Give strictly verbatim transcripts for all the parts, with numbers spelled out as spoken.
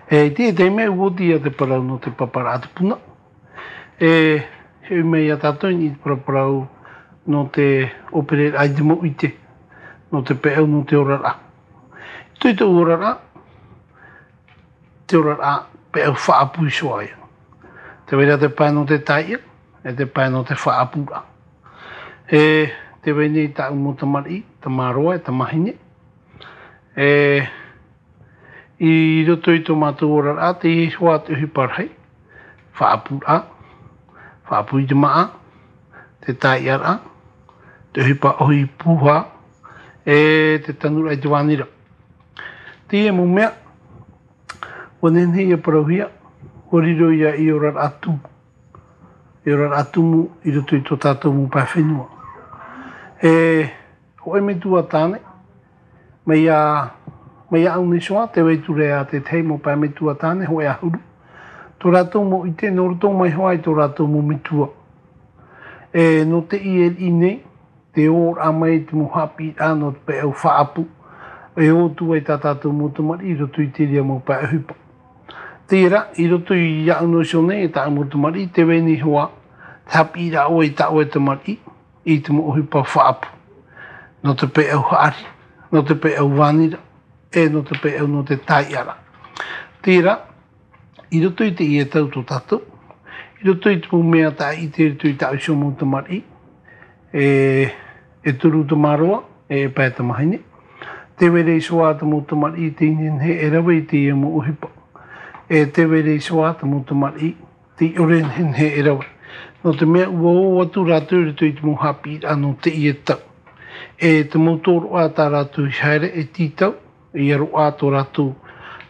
E, i te, i te mea ua oti ia te parau nō te paparaʻa tupuna. E, e ui mai ia tātou i te paraparau nō te ʻōpereraʻa i te mau ʻite, nō te peʻau, nō te oraraʻa. Tō tōʻu oraraʻa, te oraraʻa peʻau faʻaʻapu iho ā ia. Tē vai ra te pae nō te taiʻa, e te pae nō te faʻaʻapuraʻa. E, tē vai nei tāʻu mau tamariʻi, tamāroa, e tamāhine. E, i roto i tō mātou oraraʻa, teie hoʻi te ʻohipa rahi, faʻaʻapuraʻa, faʻaʻapu i te māʻa, te taiʻaraʻa, te ʻohipa ʻohi pūhā, e te tanuraʻa i te vānira. Teie mau mea, ua nehenehe ia parauhia, ua riro ia i oraraʻa tumu. I oraraʻa tumu i roto i tō tātou mau pae fenua. E, hōʻē metua tāne, mai iā, mai iāʻu nei hoʻi, tē vai atu ra ia te tahi mau pae metua tāne, hōʻē ʻahuru. Tō rātou mau ʻite, nō roto mai hoʻi i tō rātou mau metua. E, nō teie riʻi nei, te ō ra mai te mau haʻapiʻiraʻa nō te peʻau faʻaʻapu. E ō atu ai tā tātou mau tamariʻi i roto i te reira mau pae ʻohipa. Terā, i roto iāʻu nei hoʻi, e tāʻu mau tamariʻi, tē vai nei hoʻi, te haʻapiʻiraʻa ʻoe i tā ʻoe tamariʻi, i te mau ʻohipa faʻaʻapu. Nō te peʻau haʻari, nō te peʻau vānira, e nō te peʻau nō te taiʻaraʻa. Terā, i roto i teie tau tō tātou, i roto i te mau mea tāʻite i roto i tāʻu iho mau tamariʻi, e, e toru tamāroa, e pae tamāhine. Tē vai ra iho ā te mau tamariʻi tei nehenehe e rave i teie mau ʻohipa. E tē vai ra iho ā te mau tamariʻi tei ʻore e nehenehe e rave. Nō te mea ua ō atu rātou i roto i te mau haʻapiʻiraʻa nō teie tau. E te mau tōroʻa tā rātou i haere e tītau, ʻia roaʻa tō rātou,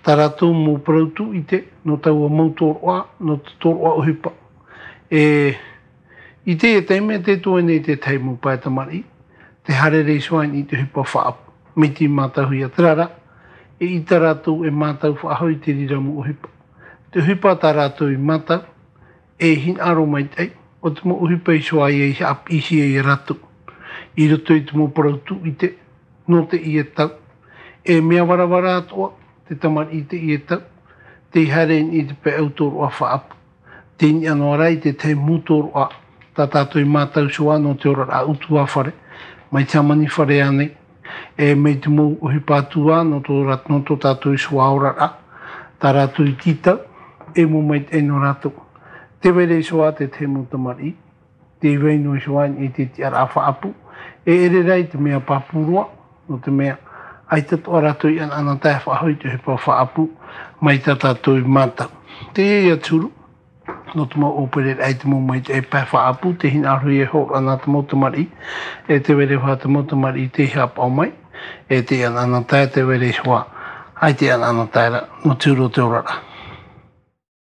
tā rātou mau parau tūʻite, nō taua mau tōroʻa, nō te tōroʻa ʻohipa. E, i teie taime tē toe nei te tahi mau pae tamariʻi, tē haere ra iho ā i te ʻohipa faʻaʻapu, mai te mātauhia terā rā, eʻita rātou e mātau faʻahou i te reira mau ʻohipa. Te ʻohipa tā rātou i mātau, e hinaʻaro maitaʻi, ʻo te mau ʻohipa iho ā ia i haʻapiʻihia ia rātou. I roto i te mau parau tūʻite, nō teie tau. E mea varavara atoʻa, te tamariʻi i teie tau, tei haere i te peʻau tōroʻa faʻaʻapu. Tei niʻa noa ra i te tahi mau tōroʻa, tā tātou i mātau iho ā nō te oraraʻa ʻutuāfare, mai te hāmani fare ānei, e mai te mau ʻohipa atu ā nō tō rā-, nō tō tātou iho ā oraraʻa, tā rātou i tītau, e mau maitaʻi nō rātou. Tē vai ra iho ā te tahi mau tamariʻi, tē vai noa iho ā i te tiʻaraʻa faʻaʻapu, e ʻere rā i te mea pāpū roa, nō te mea, ʻaita atoʻa rātou i ʻanaʻanatae faʻahou i te ʻohipa faʻaʻapu, mai tā tātou i mātau. Teie ia te huru, nō te mau ʻōpereraʻa i te mau maitaʻi pae faʻaʻapu, tē hinaʻaro ia e hōroʻa nā te mau tamariʻi, e tē vai ra iho ā te mau tamariʻi tei haʻapaʻo mai, e tei ʻanaʻanatae, tē vai ra iho ā, ʻaita e ʻanaʻanatae ra, nō te huru o te oraraʻa.